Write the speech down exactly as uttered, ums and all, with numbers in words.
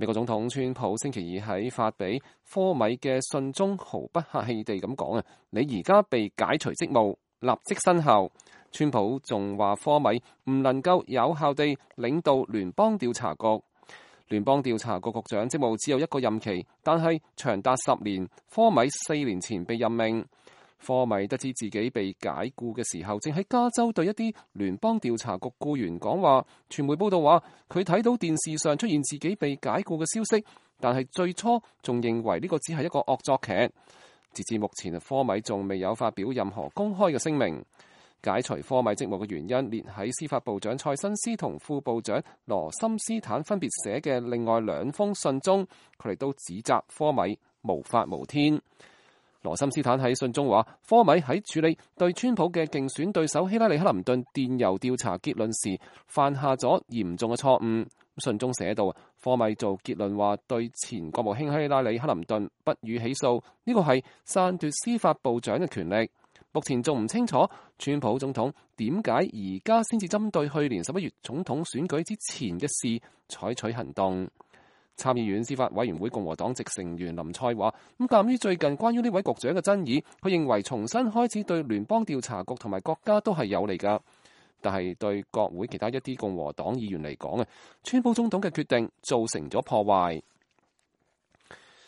美國總統川普星期二喺發俾科米嘅信中毫不客氣地咁講啊，你而家被解除職務，立即生效。川普仲話科米唔能夠有效地領導聯邦調查局。聯邦調查局局長職務只有一個任期，但係長達十年。科米四年前被任命。科米得知自己被解僱嘅時候，正喺加州對一啲聯邦調查局僱員講話。傳媒報道話，佢睇到電視上出現自己被解僱嘅消息，但係最初仲認為呢個只係一個惡作劇。截至目前，科米仲未有發表任何公開嘅聲明。解除科米職務嘅原因列喺司法部長蔡新斯同副部長羅森斯坦分別寫嘅另外兩封信中，佢哋都指責科米無法無天。羅森斯坦喺信中話，科米喺處理對川普嘅競選對手希拉里克林頓電郵調查結論時，犯下咗嚴重嘅錯誤。信中寫到，科米做結論話對前國務卿希拉里克林頓不予起訴，呢個係篡奪司法部長嘅權力。目前仲唔清楚川普總統點解而家先至針對去年十一月總統選舉之前嘅事採取行動。參議院司法委員會共和黨籍成員林賽話，咁鑑於最近關於呢位局長嘅爭議，佢認為重新開始對聯邦調查局同埋國家都係有利㗎。但係對國會其他一啲共和黨議員嚟講啊，川普總統嘅決定造成咗破壞。